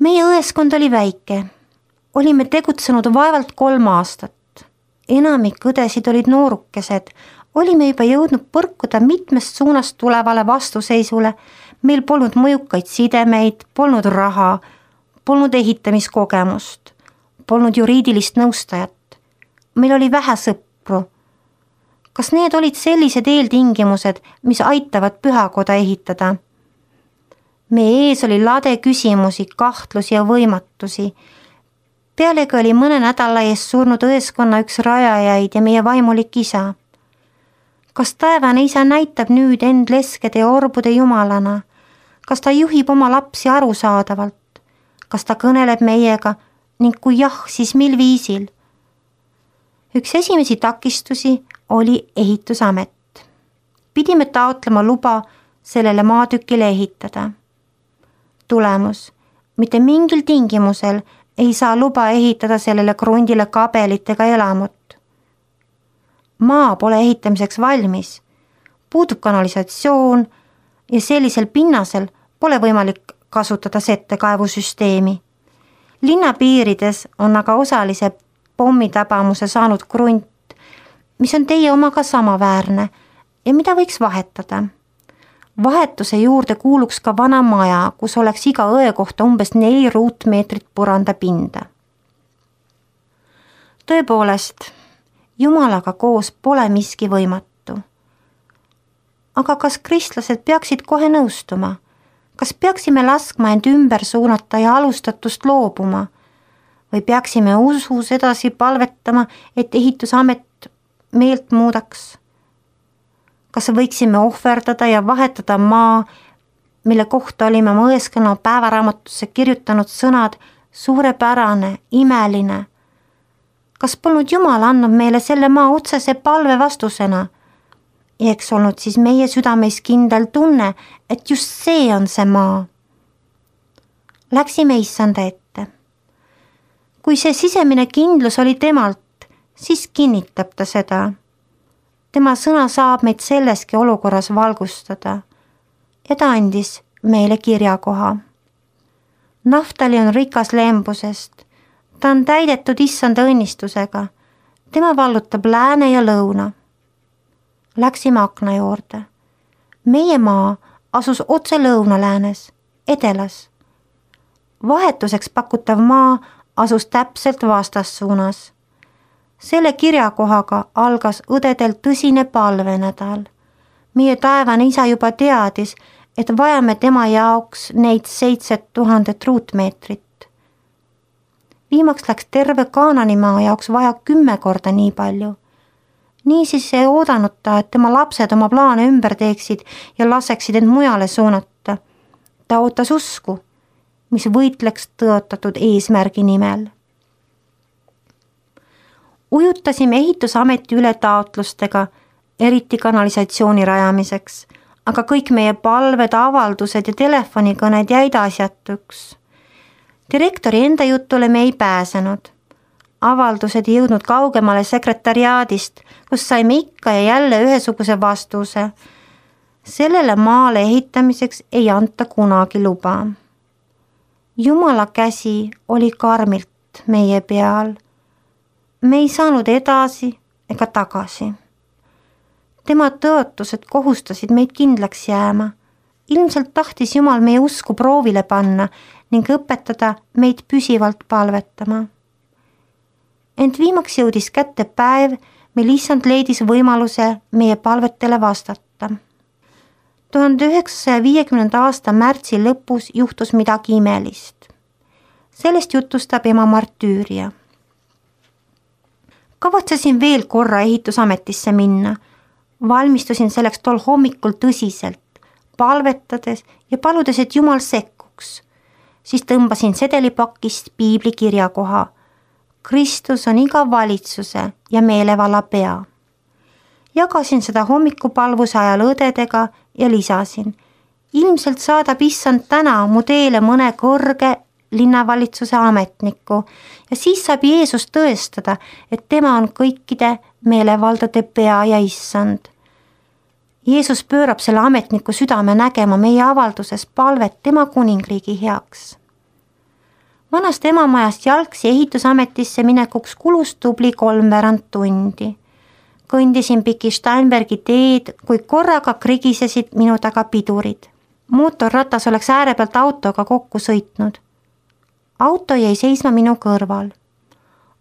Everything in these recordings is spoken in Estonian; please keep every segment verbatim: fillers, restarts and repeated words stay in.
Meie õeskond oli väike. Olime tegutsenud vaevalt kolm aastat. Enamik õdesid olid noorukesed. Olime juba jõudnud põrkuda mitmest suunast tulevale vastuseisule. Meil polnud mõjukaid sidemeid, polnud raha, polnud ehitamiskogemust, polnud juriidilist nõustajat. Meil oli vähe sõpru. Kas need olid sellised eeltingimused, mis aitavad pühakoda ehitada? Meie ees oli lade küsimusi, kahtlusi ja võimatusi. Pealegi oli mõne nädala ees surnud õeskonna üks rajajaid ja meie vaimulik isa. Kas taevane isa näitab nüüd end leskede ja orbude jumalana? Kas ta juhib oma lapsi arusaadavalt? Kas ta kõneleb meiega ning kui jah, siis mil viisil? Üks esimesi takistusi oli ehitusamet. Pidime taotlema luba sellele maatükile ehitada. Tulemus, mitte mingil tingimusel ei saa luba ehitada sellele krundile kabelitega elamut. Maa pole ehitamiseks valmis, puudub kanalisatsioon ja sellisel pinnasel pole võimalik kasutada settekaevusüsteemi. Linna piirides on aga osalise pommitabamuse saanud krunt, mis on teie omaga samaväärne ja mida võiks vahetada. Vahetuse juurde kuuluks ka vana maja, kus oleks iga õe kohta umbes neli ruutmeetrit puranda pinda. Tõepoolest, Jumalaga koos pole miski võimatu. Aga kas kristlased peaksid kohe nõustuma? Kas peaksime laskma end ümber suunata ja alustatust loobuma? Või peaksime usus edasi palvetama, et ehitusamet meelt muudaks? Kas võiksime ohverdada ja vahetada maa, mille kohta olime oma õeskonna päevaraamatusse kirjutanud sõnad suurepärane, imeline? Kas polnud Jumal andnud meile selle maa otsese palve vastusena? Ja eks olnud siis meie südameis kindel tunne, et just see on see maa. Läksime issanda ette. Kui see sisemine kindlus oli temalt, siis kinnitab ta seda. Tema sõna saab meid selleski olukorras valgustada ja ta andis meile kirjakoha. Naftali on rikas lembusest, ta on täidetud issanda õnnistusega, tema vallutab lääne ja lõuna. Läksime akna juurde. Meie maa asus otse lõunaläänes, edelas. Vahetuseks pakutav maa asus täpselt vastassuunas. Selle kirjakohaga algas õdedel tõsine palvenädal. Meie taevane isa juba teadis, et vajame tema jaoks neid seitset tuhandet ruutmeetrit. Viimaks läks terve Kaananimaa jaoks vaja kümme korda nii palju. Niisiis ei oodanud ta, et tema lapsed oma plaane ümber teeksid ja laseksid end mujale suunata. Ta ootas usku, mis võitleks tõotatud eesmärgi nimel. Ujutasime ehitusameti üle taotlustega, eriti kanalisatsiooni rajamiseks, aga kõik meie palved, avaldused ja telefonikõned jäid asjatuks. Direktori enda jutule me ei pääsenud. Avaldused ei jõudnud kaugemale sekretariaadist, kus saime ikka ja jälle ühesuguse vastuse. Sellele maale ehitamiseks ei anta kunagi luba. Jumala käsi oli karmilt meie peal. Me ei saanud edasi ega tagasi. Tema tõotused kohustasid meid kindlaks jääma. Ilmselt tahtis Jumal meie usku proovile panna ning õpetada meid püsivalt palvetama. Ent viimaks jõudis kätte päev, mil issand leidis võimaluse meie palvetele vastata. tuhande üheksasaja viiekümnenda aasta märtsi lõpus juhtus midagi imelist. Sellest jutustab ema Martüüria. Kavatsesin veel korra ehitusametisse minna. Valmistusin selleks tol hommikul tõsiselt, palvetades ja paludes, et Jumal sekkuks. Siis tõmbasin sedelipakist piibli kirjakoha. Kristus on iga valitsuse ja meelevalla pea. Jagasin seda hommikupalvuse ajal õdedega ja lisasin. Ilmselt saadab issand täna mu teele mõne kõrge linnavalitsuse ametniku ja siis saab Jeesus tõestada, et tema on kõikide meelevaldade pea ja issand. Jeesus pöörab selle ametniku südame nägema meie avalduses palvet tema kuningriigi heaks. vanast emamajast jalgsi ehitusametisse minekuks kulus tubli kolmveerand tundi. Kõndisin piki Steinbergi teed, kui korraga krigisesid minu taga pidurid. Mootorratas oleks ääre pealt autoga kokku sõitnud. Auto jäi seisma minu kõrval.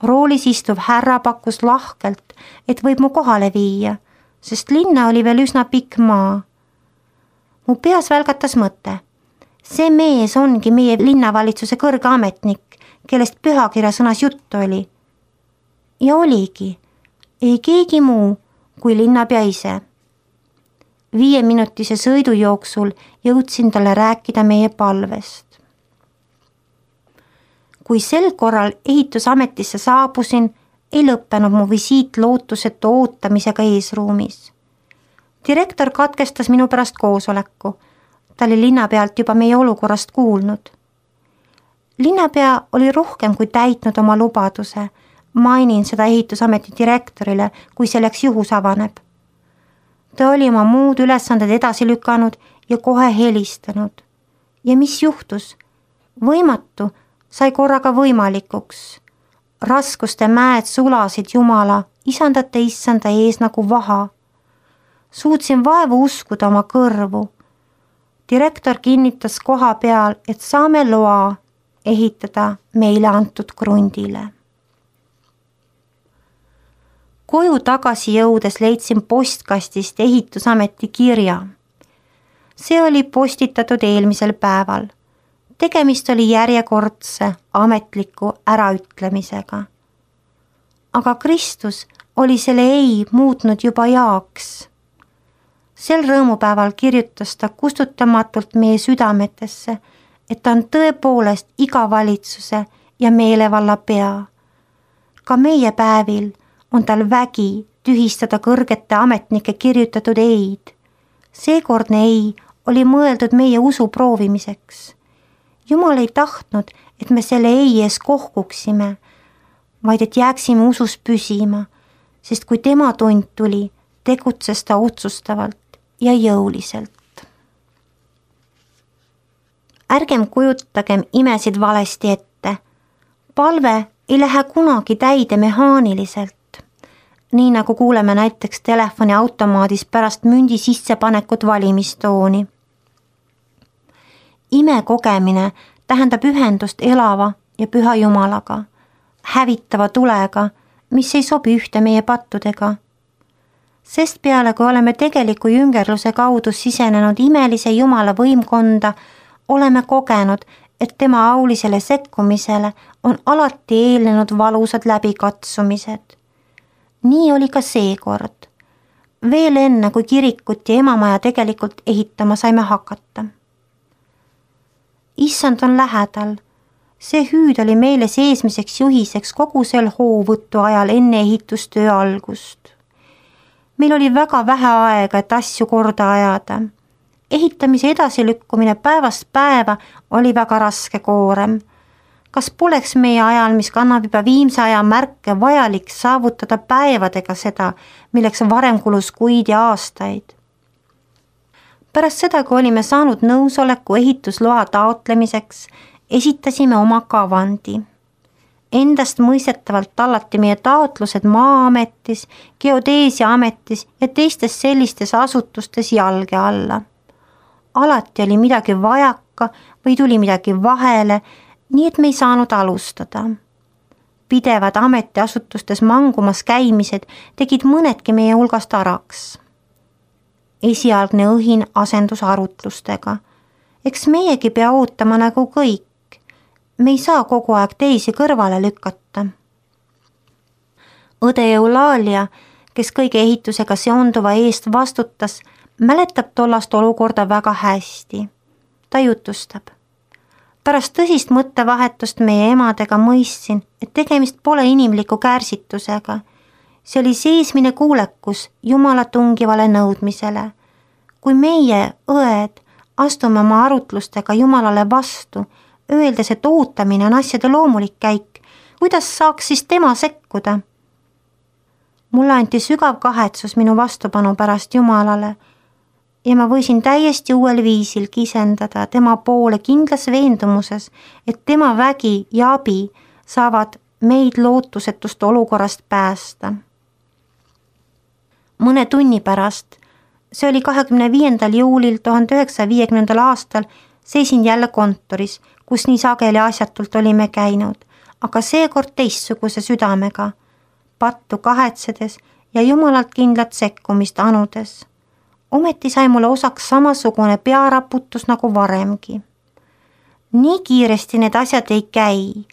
Roolis istuv härra pakkus lahkelt, et võib mu kohale viia, sest linna oli veel üsna pikk maa. Mu peas välgatas mõte. See mees ongi meie linnavalitsuse kõrge ametnik, kellest pühakirja sõnas juttu oli. Ja oligi, ei keegi muu kui linnapea ise. Viie minutise sõidu jooksul jõudsin talle rääkida meie palvest. Kui sel korral ehitusametisse saabusin, ei lõppenud mu visiit lootusetu ootamisega eesruumis. Direktor katkestas minu pärast koosoleku. Ta oli linnapealt juba meie olukorrast kuulnud. Linnapea oli rohkem kui täitnud oma lubaduse. Mainin seda ehitusameti direktorile, kui selleks juhus avaneb. Ta oli oma muud ülesanded edasi lükanud ja kohe helistanud. Ja mis juhtus? Võimatu sai korraga võimalikuks. Raskuste mäed sulasid Jumala, isandate issanda ees nagu vaha. Suutsin vaevu uskuda oma kõrvu. Direktor kinnitas koha peal, et saame loa ehitada meile antud krundile. Koju tagasi jõudes leidsin postkastist ehitusameti kirja. See oli postitatud eelmisel päeval. Tegemist oli järjekordse ametliku äraütlemisega. Aga Kristus oli selle ei muutnud juba jaaks. Sel rõõmupäeval kirjutas ta kustutamatult meie südametesse, et ta on tõepoolest iga valitsuse ja meelevalla pea. Ka meie päevil on tal vägi tühistada kõrgete ametnike kirjutatud eid. Seekordne ei oli mõeldud meie usu proovimiseks. Jumal ei tahtnud, et me selle ei ees kohkuksime, vaid et jääksime usus püsima, sest kui tema tund tuli, tegutses ta otsustavalt ja jõuliselt. Ärgem kujutagem imesid valesti ette. Palve ei lähe kunagi täide mehaaniliselt, nii nagu kuuleme näiteks telefoniautomaadis pärast mündi sissepanekut valimistooni. Ime kogemine tähendab ühendust elava ja püha Jumalaga, hävitava tulega, mis ei sobi ühte meie pattudega. Sest peale, kui oleme tegeliku jüngerluse kaudu sisenenud imelise Jumala võimkonda, oleme kogenud, et tema aulisele sekkumisele on alati eelnenud valusad läbikatsumised. Nii oli ka seekord. Veel enne, kui kirikut ja emamaja tegelikult ehitama saime hakata. Issand on lähedal. See hüüd oli meile seesmiseks juhiseks kogu sel hoovõttu ajal enne ehitustöö algust. Meil oli väga vähe aega, et asju korda ajada. Ehitamise edasilükkumine päevast päeva oli väga raske koorem. Kas poleks meie ajal, mis kannab juba viimse aja märke, vajalik saavutada päevadega seda, milleks varem kulus kuid ja aastaid? Pärast seda, kui olime saanud nõusoleku ehitusloa taotlemiseks, esitasime oma kavandi. Endast mõistetavalt tallati meie taotlused Maa-ametis, Geodeesia-ametis ja teistes sellistes asutustes jalge alla. Alati oli midagi vajaka või tuli midagi vahele, nii et me ei saanud alustada. Pidevad ametiasutustes mangumas käimised tegid mõnedki meie hulgast araks. Esialgne õhin asendus arutlustega. Eks meiegi pea ootama nagu kõik. Me ei saa kogu aeg teisi kõrvale lükata. Õde Eulaalia, kes kõige ehitusega seonduva eest vastutas, mäletab tollast olukorda väga hästi. Ta jutustab. Pärast tõsist mõttevahetust meie emadega mõistsin, et tegemist pole inimliku kärsitusega. See oli seesmine kuulekus Jumala tungivale nõudmisele. Kui meie, õed, astume oma arutlustega Jumalale vastu, öeldes, et ootamine on asjade loomulik käik, kuidas saaks siis tema sekkuda? Mulle anti sügav kahetsus minu vastupanu pärast Jumalale. ja ma võisin täiesti uuel viisil kisendada tema poole kindlas veendumuses, et tema vägi ja abi saavad meid lootusetust olukorrast päästa. Mõne tunni pärast, see oli kahekümne viiendal juulil tuhande üheksasaja viiekümnendal aastal, seisin jälle kontoris, kus nii sageli asjatult olime käinud, aga seekord teistsuguse südamega, pattu kahetsedes ja jumalalt kindlat sekkumist anudes. Ometi sai mulle osaks samasugune pearaputus nagu varemgi. Nii kiiresti need asjad ei käi.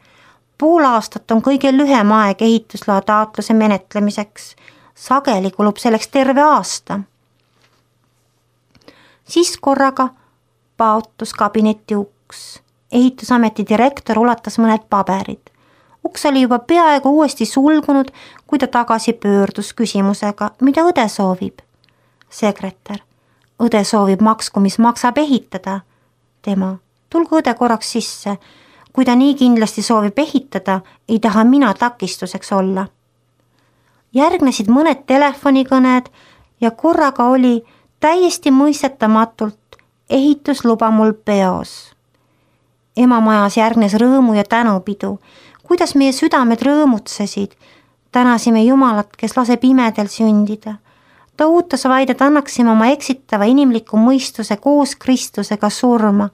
Pool aastat on kõige lühem aeg ehitusloa taotluse menetlemiseks. Sageli kulub selleks terve aasta. Siis korraga paotus kabinetti uks. Ehitusameti direktor ulatas mõned paberid. Uks oli juba peaaegu uuesti sulgunud, kui ta tagasi pöördus küsimusega, mida õde soovib. Sekretär, õde soovib maksku, mis maksab ehitada. Tema, tulgu õde korraks sisse. Kui ta nii kindlasti soovib ehitada, ei taha mina takistuseks olla. Järgnesid mõned telefonikõned ja korraga oli täiesti mõistetamatult ehitusluba mul peos. Emamajas järgnes rõõmu ja tänupidu, kuidas meie südamed rõõmutsesid. Tänasime Jumalat, kes laseb imedel sündida. Ta ootas vaid, et annaksime oma eksitava inimliku mõistuse koos Kristusega surma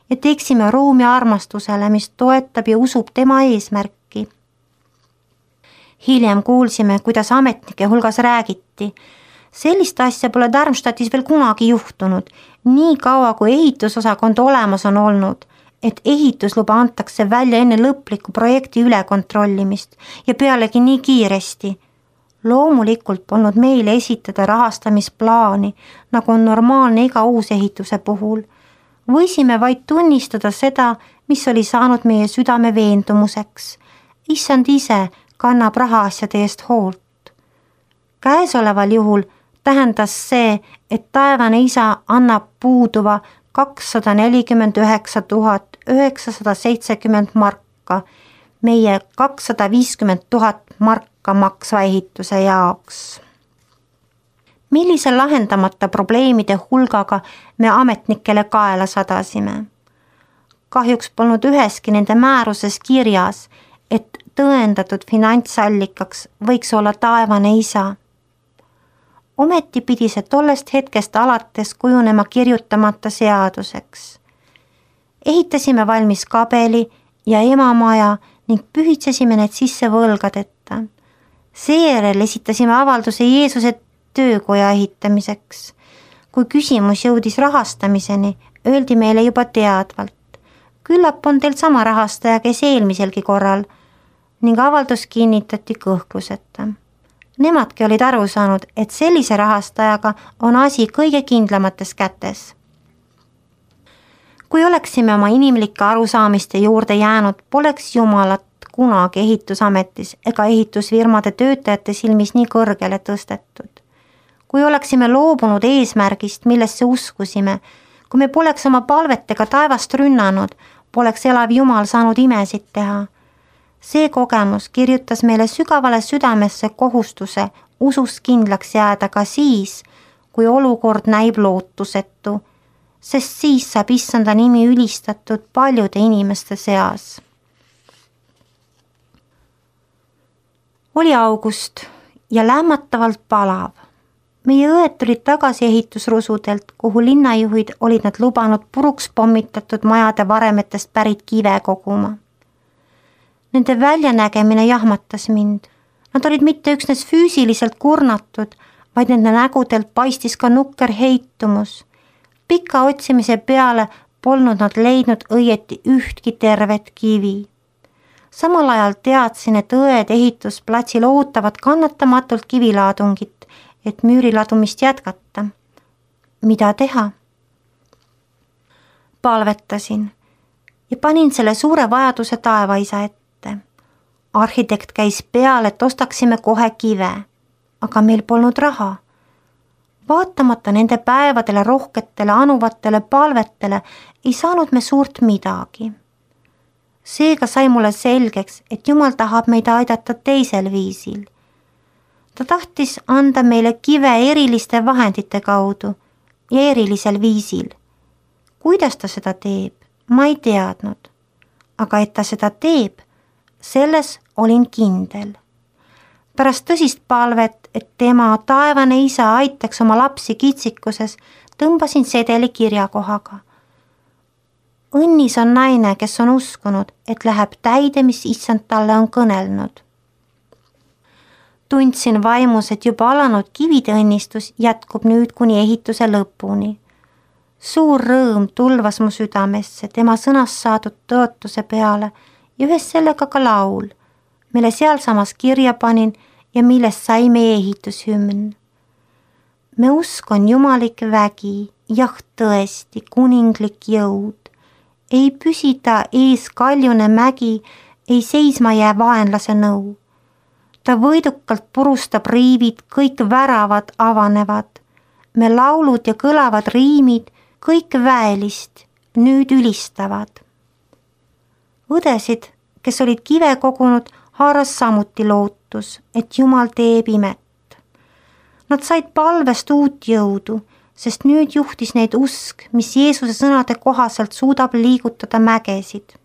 ja teeksime ruumi armastusele, mis toetab ja usub tema eesmärki. Hiljem kuulsime, kuidas ametnike hulgas räägiti. Sellist asja pole Darmstadtis veel kunagi juhtunud, nii kaua kui ehitusosakond olemas on olnud, et ehitusluba antakse välja enne lõpliku projekti ülekontrollimist ja pealegi nii kiiresti. Loomulikult polnud meile esitada rahastamisplaani, nagu on normaalne iga uus ehituse puhul. Võisime vaid tunnistada seda, mis oli saanud meie südame veendumuseks. Issand ise kannab rahaasjade eest hoolt. Käesoleval juhul tähendas see, et taevane isa annab puuduva kakssada nelikümmend üheksa tuhat üheksasada seitsekümmend marka meie kakssada viiskümmend tuhat marka maksva ehituse jaoks. Millise lahendamata probleemide hulgaga me ametnikele kaela sadasime? Kahjuks polnud üheski nende määruses kirjas, et tõendatud finantsallikaks võiks olla taevane isa. Ometi pidi see tollest hetkest alates kujunema kirjutamata seaduseks. Ehitasime valmis kabeli ja emamaja ning pühitsesime need sisse võlgadeta. Seejärel esitasime avalduse Jeesuse töökoja ehitamiseks. Kui küsimus jõudis rahastamiseni, öeldi meile juba teadvalt. Küllap on teil sama rahastaja, kes eelmiselgi korral, ning avaldus kinnitati kõhkluseta. Nemadki olid aru saanud, et sellise rahastajaga on asi kõige kindlamates kätes. Kui oleksime oma inimlike arusaamiste juurde jäänud, poleks Jumalat kunagi ehitusametis ega ehitusfirmade töötajate silmis nii kõrgele tõstetud. Kui oleksime loobunud eesmärgist, millesse uskusime, kui me poleks oma palvetega taevast rünnanud, poleks elav Jumal saanud imesid teha. See kogemus kirjutas meile sügavale südamesse kohustuse usus kindlaks jääda ka siis, kui olukord näib lootusetu, sest siis saab issanda nimi ülistatud paljude inimeste seas. Oli august ja lämmatavalt palav. Meie õed tulid tagasi ehitusrusudelt, kuhu linnajuhid olid nad lubanud puruks pommitatud majade varemetest pärit kive koguma. Nende väljanägemine jahmatas mind. Nad olid mitte üksnes füüsiliselt kurnatud, vaid nende nägudelt paistis ka nukker heitumus. Pika otsimise peale polnud nad leidnud õieti ühtki tervet kivi. Samal ajal teadsin, et õed ehitusplatsil ootavad kannatamatult kivilaadungit, et müüriladumist jätkata. Mida teha? Palvetasin ja panin selle suure vajaduse taevaisa ette. Arhitekt käis peal, et ostaksime kohe kive, aga meil polnud raha. Vaatamata nende päevadele rohketele anuvatele palvetele ei saanud me suurt midagi. Seega sai mulle selgeks, et Jumal tahab meid aidata teisel viisil. Ta tahtis anda meile kive eriliste vahendite kaudu, ja erilisel viisil. Kuidas ta seda teeb, ma ei teadnud, aga et ta seda teeb, selles olin kindel. Pärast tõsist palvet, et tema taevane isa aitaks oma lapsi kitsikuses, tõmbasin sedeli kirjakohaga. Õnnis on naine, kes on uskunud, et läheb täide, mis issand talle on kõnelnud. Tundsin vaimus, et juba alanud kivide õnnistus jätkub nüüd kuni ehituse lõpuni. Suur rõõm tulvas mu südamesse tema sõnast saadud tõotuse peale ja ühes sellega ka laul, mille sealsamas kirja panin ja millest sai meie ehitushümn. Me usk on jumalik vägi, jah tõesti kuninglik jõud. Ei püsida ees kaljune mägi, ei seisma jää vaenlase nõu. Ta võidukalt purustab riivid, kõik väravad avanevad. Me laulud ja kõlavad riimid, kõik väelist nüüd ülistavad. Õdesid, kes olid kive kogunud, haaras samuti lootus, et Jumal teeb imet. Nad said palvest uut jõudu, sest nüüd juhtis neid usk, mis Jeesuse sõnade kohaselt suudab liigutada mägesid.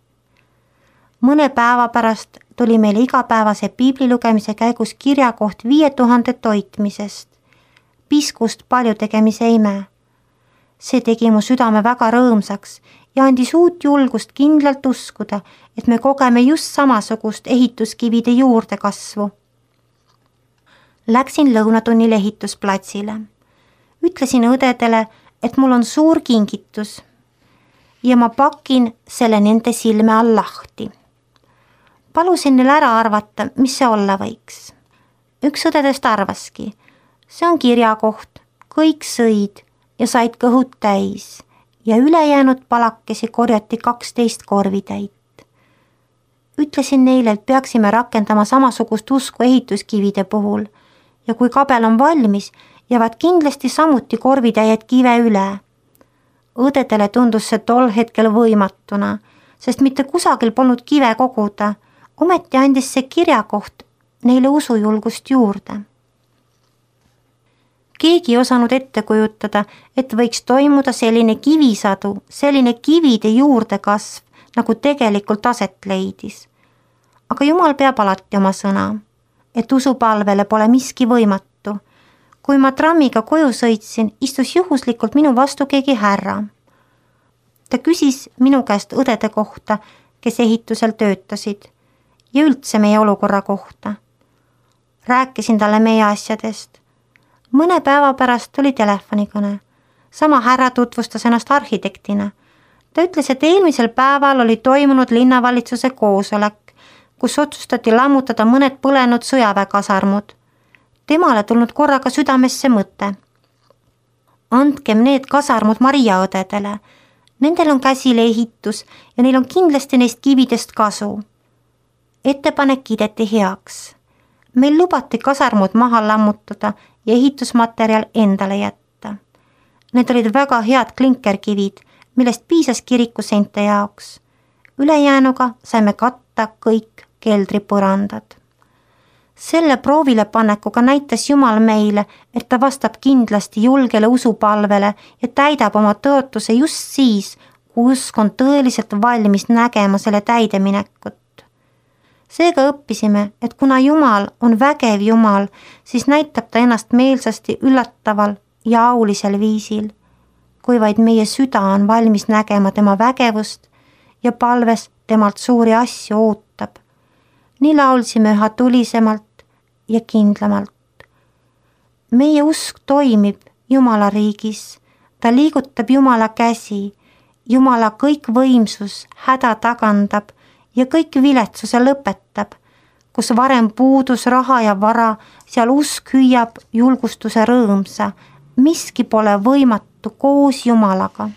Mõne päeva pärast tuli meil igapäevase piibli lugemise käigus kirjakoht viie tuhande toitmisest, piskust palju tegemise ime. See tegi mu südame väga rõõmsaks ja andis uut julgust kindlalt uskuda, et me kogeme just samasugust ehituskivide juurde kasvu. Läksin lõunatunnil ehitusplatsile. Ütlesin õdedele, et mul on suur kingitus ja ma pakin selle nende silme all lahti. Palusin neil ära arvata, mis see olla võiks. Üks õdedest arvaski, see on kirjakoht, kõik sõid ja said kõhud täis ja ülejäänud palakesi korjati kaksteist korvitäit. Ütlesin neile, et peaksime rakendama samasugust usku ehituskivide puhul ja kui kabel on valmis, jäävad kindlasti samuti korvitäied kive üle. Õdedele tundus see tol hetkel võimatuna, sest mitte kusagil polnud kive koguda, ometi andis see kirjakoht neile usujulgust juurde. Keegi ei osanud ette kujutada, et võiks toimuda selline kivisadu, selline kivide juurdekasv, nagu tegelikult aset leidis. Aga Jumal peab alati oma sõna, et usupalvele pole miski võimatu. Kui ma trammiga koju sõitsin, istus juhuslikult minu vastu keegi härra. Ta küsis minu käest õdede kohta, kes ehitusel töötasid ja üldse meie olukorra kohta. Rääkisin talle meie asjadest. Mõne päeva pärast tuli telefonikõne. Sama härra tutvustas ennast arhitektina. Ta ütles, et eelmisel päeval oli toimunud linnavalitsuse koosolek, kus otsustati lammutada mõned põlenud sõjaväekasarmud. Temale tulnud korraga südamesse mõte. Andkem need kasarmud Maria õdedele. Nendel on käsil ehitus ja neil on kindlasti neist kividest kasu. Ettepanek kiideti heaks. Meil lubati kasarmud maha lammutada ja ehitusmaterjal endale jätta. Need olid väga head klinkerkivid, millest piisas kirikuseinte jaoks. Ülejäänuga saime katta kõik keldripõrandad. Selle proovilepannekuga näitas Jumal meile, et ta vastab kindlasti julgele usupalvele ja täidab oma tõotuse just siis, kui usk on tõeliselt valmis nägema selle täideminekut. Seega õppisime, et kuna Jumal on vägev Jumal, siis näitab ta ennast meelsasti üllataval ja aulisel viisil, kui vaid meie süda on valmis nägema tema vägevust ja palves temalt suuri asju ootab. Nii laulsime üha tulisemalt ja kindlamalt. Meie usk toimib Jumala riigis, ta liigutab Jumala käsi, Jumala kõik võimsus häda tagandab ja kõik viletsuse lõpetab, kus varem puudus raha ja vara, seal usk hüüab julgustuse rõõmsa, miski pole võimatu koos Jumalaga.